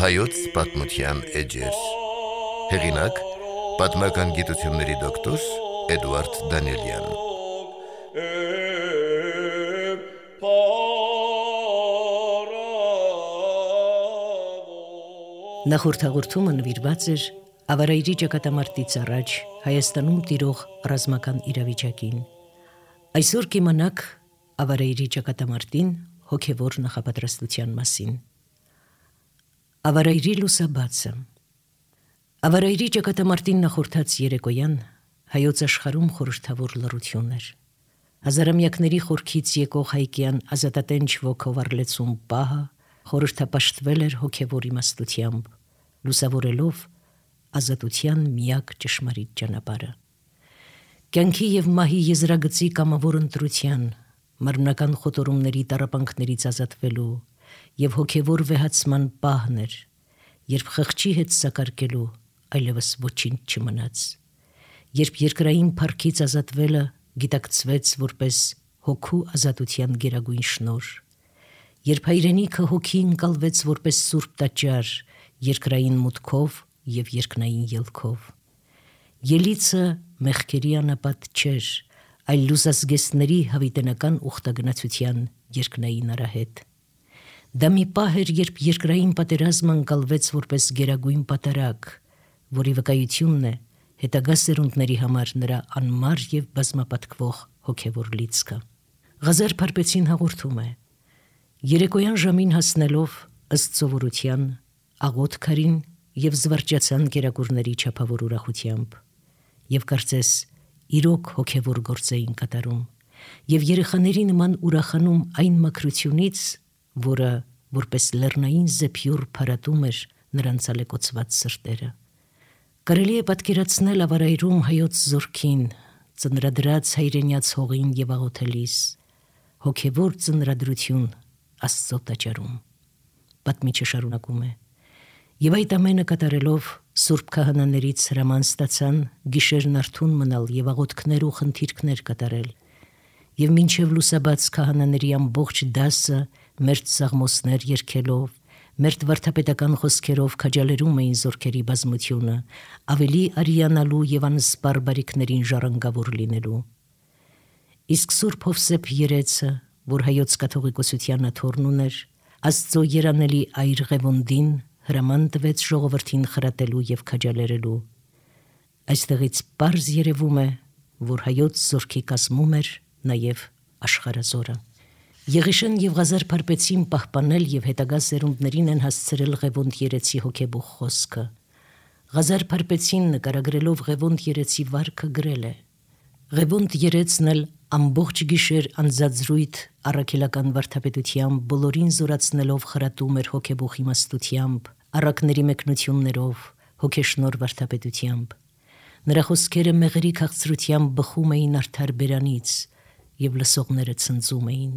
Հայոց պատմության էջեր։ Հեղինակ՝ պատմական գիտությունների դոկտոր Էդուարդ Դանիելյան։ Նախորդ հաղորդումը նվիրված էր ավարայրի ճակատամարտից առաջ Հայաստանում տիրող ռազմական իրավիճակին։ Այսօր կիմանաք ավարայրի ճակատամարտին հոգևոր նախապատրաստության մասին։ Ավարայրի լուսաբացը։ Ավարայրի ճակատամարտին նախորդած երեկոյան հայոց աշխարհում խորհրդավոր լռություն էր։ Հազարամյակների խորքից եկող հայկյան ազատատենչ ոգով առլեցուն պահը խորհրդապաշտվել էր հոգևոր իմաստությամբ, լուսավորելով ազատության միակ ճշմարիտ ճանապարհը։ Կյանքի եւ մահի եզրագծի կամավոր ընտրության, մարմնական խոտորումների տառապանքներից ազատվելու եւ հոգևոր վեհացման պահն էր, երբ խղճի հետ սակարկելու այլևս ոչինչ չմնաց, երբ երկրային փառքից ազատվելը գիտակցվեց որպես հոգու ազատության գերագույն շնորհ, երբ հայրենիքը հոգի ընկալվեց որպես սուրբ տաճար երկրային մուտքով եւ երկնային ելքով։ Ելիցը մեղքերի անապատ չէր, այլ լուսազգեստների հավիտենական ուխտագնացության երկնային արահետ։ Դա մի պահ էր, երբ երկրային պատերազմը ընկալվեց որպես գերագույն պատարագ, որի վկայությունն է հետագա սերունդների համար նրա անմար եւ բազմապատկվող հոգևոր լիցքը։ Ղազար Փարպեցին հաղորդում է. երեկոյան ժամին հասնելով ըստ սովորության աղոտ քարին եւ զվարճացան կերակուրների չափավոր ուրախությամբ, եւ կարծես իրոք հոգևոր գործ էին կատարում, եւ երեխաների նման ուրախանում այն մաքրությունից, որը որպես լեռնային զեփյուռ փարատում էր նրանց ալեկոծված սրտերը։ Կարելի է պատկերացնել ավարայրում հայոց զորքին, ծնրադրած հայրենյաց հողին եւ աղոթելիս, հոգևոր ծնրադրություն Աստծո տաճարում։ Պատմիչը շարունակում է. եւ այդ ամենը կատարելով սուրբ քահանաներից հրաման ստացան գիշերն արթուն մնալ եւ աղոթքներ ու խնդիրքներ կատարել, եւ մինչեւ լուսաբաց քահանաների ամբողջ դասը մերթ սաղմոսներ երգելով, մերթ վարդապետական խոսքերով քաջալերում էին զորքերի բազմությունը, ավելի արիանալու եւ անսպար բարիքներին ժառանգավոր լինելու։ Իսկ Սուրբ Հովսեփ երեցը, որ հայոց կաթողիկոսության աթոռն ուներ, Աստծո երանելի այր Ղևոնդին հրաման տվեց ժողովրդին խրատելու եւ քաջալերելու։ Այստեղից պարզ երևում է, որ հայոց զորքի կազմում էր նաեւ աշխարհազորը։ Եղիշեն եւ Ղազար Փարպեցին պահպանել եւ հետագա սերունդներին են հասցրել Ղևոնդ երեցի հոգեբուխ խոսքը։ Ղազար Փարպեցին նկարագրելով Ղևոնդ երեցի վարքը գրել է. Ղևոնդ երեցն էլ ամբողջ գիշեր անձածրույթ առաքելական վարդապետությամբ բոլորին զորացնելով խրատում էր հոգեբուխ իմաստությամբ, առակների մեկնություններով, հոգեշնոր վարդապետությամբ։ Նրա խոսքերը մեղրի քաղցրությամբ բխում էին արդար բերանից եւ լսողները ցնծում էին։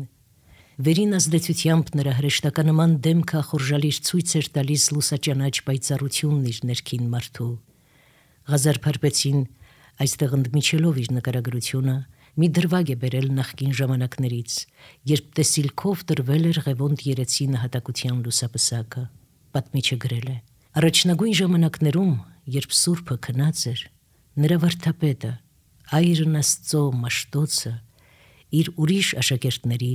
Վերին ազդեցությամբ նրա հրեշտականման դեմքը խորժալիր ցույց էր տալիս լուսաճանաչ պայծառությունն իր ներքին մարդու։ Ղազար Փարպեցին այստեղ ընդմիջելով իր նկարագրությունը մի դրվագ է բերել նախկին ժամանակներից, երբ տեսիլքով տրվել էր Ղևոնդ երեցի նահատակության լուսապսակը։ Պատմիչը գրել է. առաջնագույն ժամանակներում, երբ Սուրբը քնած էր, նրա վարդապետը, այրն Աստծո Մաշտոցը, իր ուրիշ աշակերտների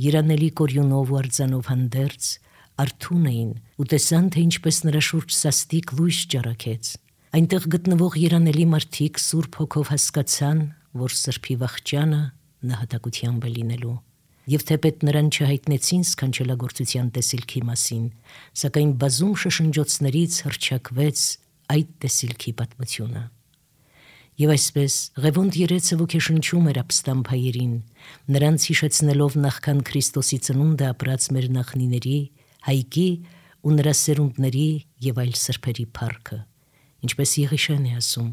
երանելի կորյունով ու արձանով հանդերձ արթուն էին ու տեսան, թե ինչպես նրա շուրջ սաստիկ լույս ճառագեց։ Այնտեղ գտնվող երանելի մարդիկ Սուրբ Հոգով հասկացան, որ Սրբի վախճանը նահատակությամբ է լինելու, եւ թեպետ նրան չհայտնեցին սքանչելագործության տեսիլքի մասին, սակայն բազում շշնջոցներից հռչակվեց այդ տեսիլքի պատմությունը։ Եվ այսպես Ղևոնդ երեցը ոգեշնչում էր ապստամբ հայերին, նրանց հիշեցնելով նախքան Քրիստոսի ծնունդը ապրած մեր նախնիների, Հայկի ու նրա սերունդների եւ այլ սրբերի փառքը։ Ինչպես Եղիշեն է ասում.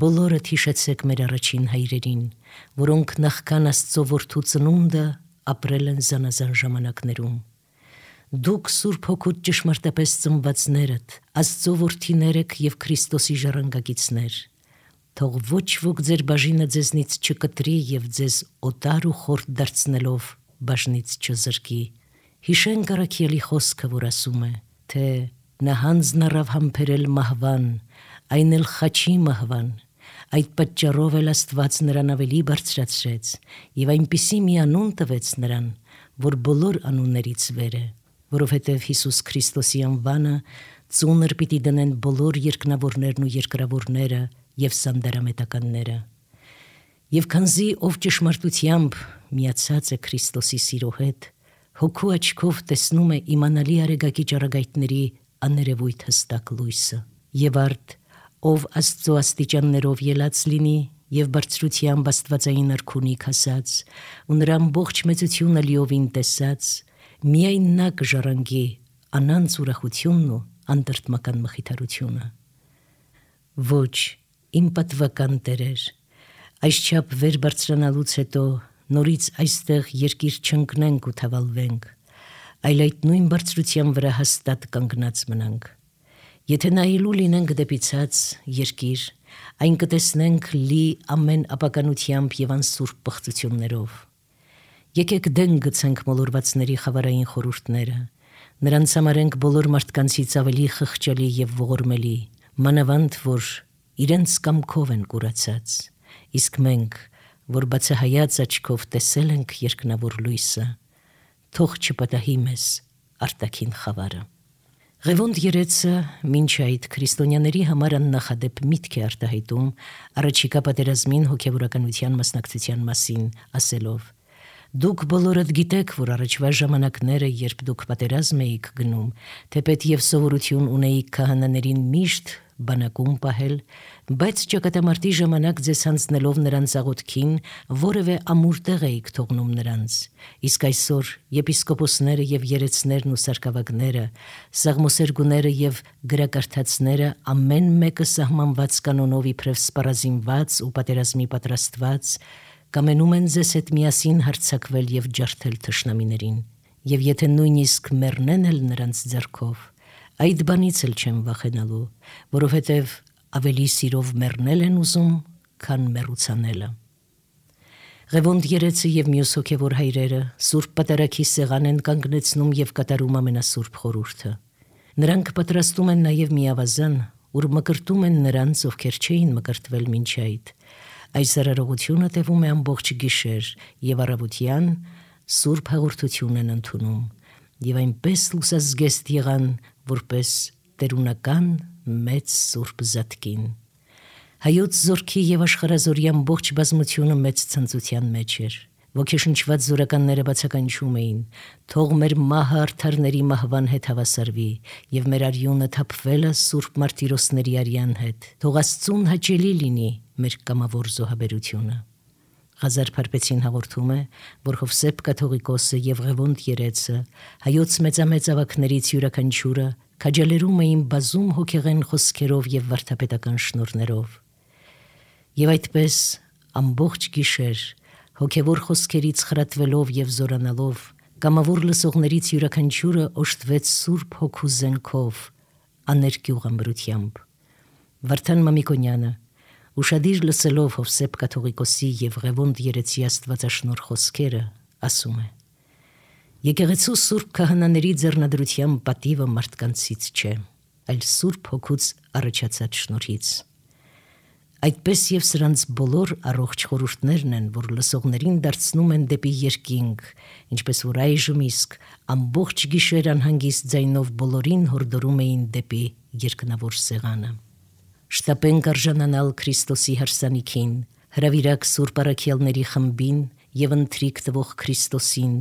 բոլորդ հիշեցեք մեր առաջին հայրերին, որոնք նախքան Աստծո որդու ծնունդը ապրել են զանազան ժամանակներում։ Դուք Սուրբ Հոգուց ճշմարտապես ծնվածներդ, Աստծո որդիներ եք եւ Քրիստոսի ժառանգագիցներ։ թող ոչ ոք ձեր բաժինը ձեզնից չկտրի եւ ձեզ օտար ու խորտ դարձնելով բաժնից չզրկի։ Հիշենք առաքյալի խոսքը, որ ասում է, թե նա հանձն առավ համբերել մահվան, այն էլ խաչի մահվան, այդ պատճառով էլ Աստված նրան ավելի բարձրացրեց եւ այնպիսի մի անուն տվեց նրան, որ բոլոր անուններից վեր է, որովհետև Հիսուս Քրիստոսի անվանը ծունր պիտի դնեն բոլոր երկնավորներն ու երկրավորները եւ սանդարամետականները։ Եվ քանզի ով ճշմարտությամբ միացած է Քրիստոսի սիրո հետ, հոգու աչքով տեսնում է իմանալի արեգակի ճառագայթների աներևույթ հստակ լույսը, եւ արդ ով Աստծո աստիճաններով ելած լինի եւ բարձրությամբ աստվածային արքունիք հասած ու նրա ամբողջ մեծությունը լիովին տեսած, միայն նա կժառանգի անանց ուրախությունն ու անտրտմական մխիթարությունը։ Ոչ, իմ պատվական տերեր, այսչափ վեր բարձրանալուց հետո նորից այստեղ երկիր չընկնենք ու թավալվենք, այլ այդ նույն բարձրության վրա հաստատ կանգնած մնանք։ Եթե նայելու լինենք դեպի ցած երկիր, այն կտեսնենք լի ամեն ապականությամբ եւ անսուրբ պղծություններով։ Եկեք դեն գցենք մոլորվածների խավարային խորհուրդները, նրանց համարենք բոլոր մարդկանցից ավելի խղճալի եւ ողորմելի, մանավանդ որ իրենց կամքով են կուրացած, իսկ մենք, որ բացահայաց աչքով տեսել ենք երկնավոր լույսը, թող չպատահի մեզ արտաքին խավարը։ Ղևոնդ երեցը մինչ այդ քրիստոնյաների համար աննախադեպ միտք է արտահայտում առաջիկա պատերազմին հոգևորականության մասնակցության մասին, ասելով. Դուք բոլորդ գիտեք, որ առաջվա ժամանակները, երբ դուք պատերազմ էիք գնում, թեպետ եւ սովորություն ունեիք քահանաներին միշտ բանակում պահել, բայց ճակատամարտի ժամանակ ձեզ հանձնելով նրանց աղոթքին, որևէ ամուր տեղ էիք թողնում նրանց։ Իսկ այսօր եպիսկոպոսները եւ երեցներն ու սարկավագները, սաղմոսերգուները եւ գրակարդացները ամեն մեկը սահմանված կանոնով իբրև սպառազինված ու պատերազմի պատրաստված, կամենում են ձեզ հետ միասին հարձակվել եւ ջարդել թշնամիներին։ Եվ եթե նույնիսկ մեռնեն էլ նրանց ձեռքով, այդ բանից էլ չեմ վախենալու, որովհետև ավելի սիրով մեռնել են ուզում, քան մեռուցանելը։ Ղևոնդ երեցը եւ մյուս հոգևոր հայրերը Սուրբ Պատարագի սեղան են կանգնեցնում եւ կատարում ամենասուրբ խորհուրդը։ Նրանք պատրաստում են նաեւ մի ավազան, ուր մկրտում են նրանց, ովքեր չէին մկրտվել մինչ այդ։ Այս արարողությունը տևում է ամբողջ գիշեր եւ առավոտյան սուրբ հաղորդություն են ընդունում եւ այնպես լուսազգեստ եղան, որպես տերունական մեծ սուրբ զատկին։ Հայոց զորքի եւ աշխարհազորի ամբողջ բազմությունը մեծ ցնծության մեջ էր։ Ոգեշնչված զորականները բացականչում էին. թող մեր մահը արդարների մահվան հետ հավասարվի եւ մեր արյունը թափվելը սուրբ մարտիրոսների արյան հետ։ Թող Աստծուն հաճելի լինի մեր կամավոր զոհաբերությունը։ Ղազար Փարպեցին հաղորդում է, որ Հովսեփ կաթողիկոսը եւ Ղևոնդ երեցը հայոց մեծամեծ ավակներից յուրաքանչյուրը քաջալերում էին բազում հոգեղեն խոսքերով եւ վարդապետական շնորհներով։ Եվ այդպես ամբողջ գիշեր հոգևոր խոսքերից խրատվելով եւ զորանալով կամավոր լսողներից յուրաքանչյուրը օժտվեց Սուրբ Հոգու զենքով, աներկյուղ ամրությամբ։ Վարդան Մամիկոնյանը ուշադիր լսելով Հովսեփ կաթողիկոսի եւ Ղևոնդ երեցի աստվածաշնորհ խոսքերը, ասում է. Եկեղեցու սուրբ քահանաների ձեռնադրության պատիվը մարդկանցից չէ, այլ Սուրբ Հոգուց առաջացած շնորհից։ Այդպես եւ սրանց բոլոր առողջ խորհուրդներն են, որ լսողներին դարձնում են դեպի երկինք, ինչպես որ այժմ իսկ ամբողջ գիշեր անհանգիստ ձայնով բոլորին հորդորում էին դեպի երկնավոր սեղանը։ Շտապենք արժանանալ Քրիստոսի հարսանիքին, հրավիրակ Սուրբ առաքյալների խմբին եւ ընթրիք տվող Քրիստոսին,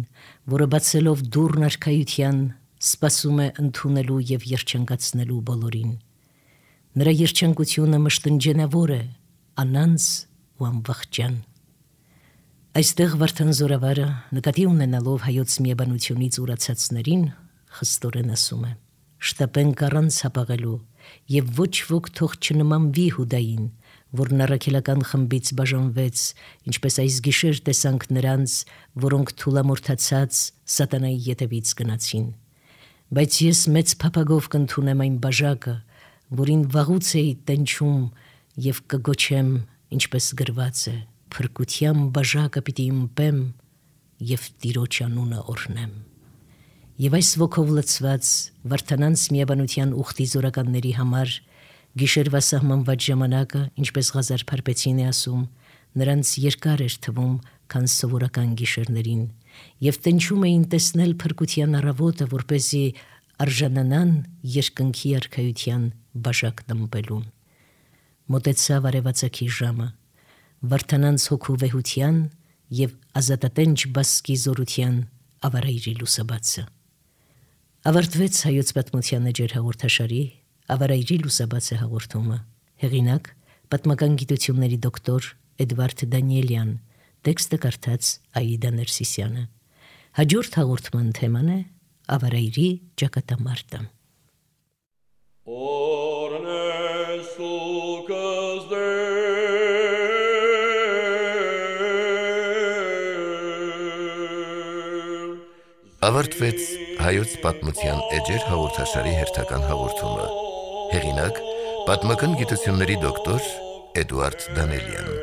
որը բացելով դուռն արքայության սպասում է ընդունելու եւ երջանկացնելու բոլորին։ Նրա երջանկությունը մշտնջենավոր է, անանց ու անվախճան։ Այստեղ Վարդան Զորավարը նկատի ունենալով հայոց միաբանությունից ուրացածներին խստորեն ասում է. շտապենք առանց հապաղելու եւ ոչ ոք թող չնմանվի Հուդային, որն առաքելական խմբից բաժանվեց, ինչպես այս գիշեր տեսանք նրանց, որոնք թուլամորթացած սատանայի ետևից գնացին։ Բայց ես մեծ փափագով կընդունեմ այն բաժակը, որին վաղուց էի տենչում եւ կգոչեմ, ինչպես գրված է, փրկության բաժակը պիտի ըմպեմ եւ Տիրոջ անունը օրհնեմ։ Եվ այս ոգով լցված վարդանանց միաբանության ուխտի զորականների համար գիշերվա սահմանված ժամանակը, ինչպես Ղազար Փարպեցին է ասում, նրանց երկար էր թվում, քան սովորական գիշերներին, եւ տնչում էին տեսնել փրկության առավոտը, որպեսզի արժանանան երկնքի արքայության բաժակն ըմպելուն։ Մոտեցավ արևածագի ժամը, վարդանանց հոգու վեհության եւ ազատատենչ բասկի զորության ավարայրի լուսաբացը։ Ավարտվեց հայոց պատմության էջեր հաղորդաշարի ավարայրի լուսաբացը հաղորդումը։ Հեղինակ պատմական գիտությունների դոկտոր Էդվարդ Դանիելյան, տեքստը կարդաց Աիդա Ներսիսյանը։ Հաջորդ հաղորդման թեման է ավարայրի ճակատամարտը։ Ավարտվեց հայոց պատմության էջեր հաղորդաշարի հերթական հաղորդումը։ Հեղինակ պատմական գիտությունների դոկտոր Էդվարդ Դանիելյան։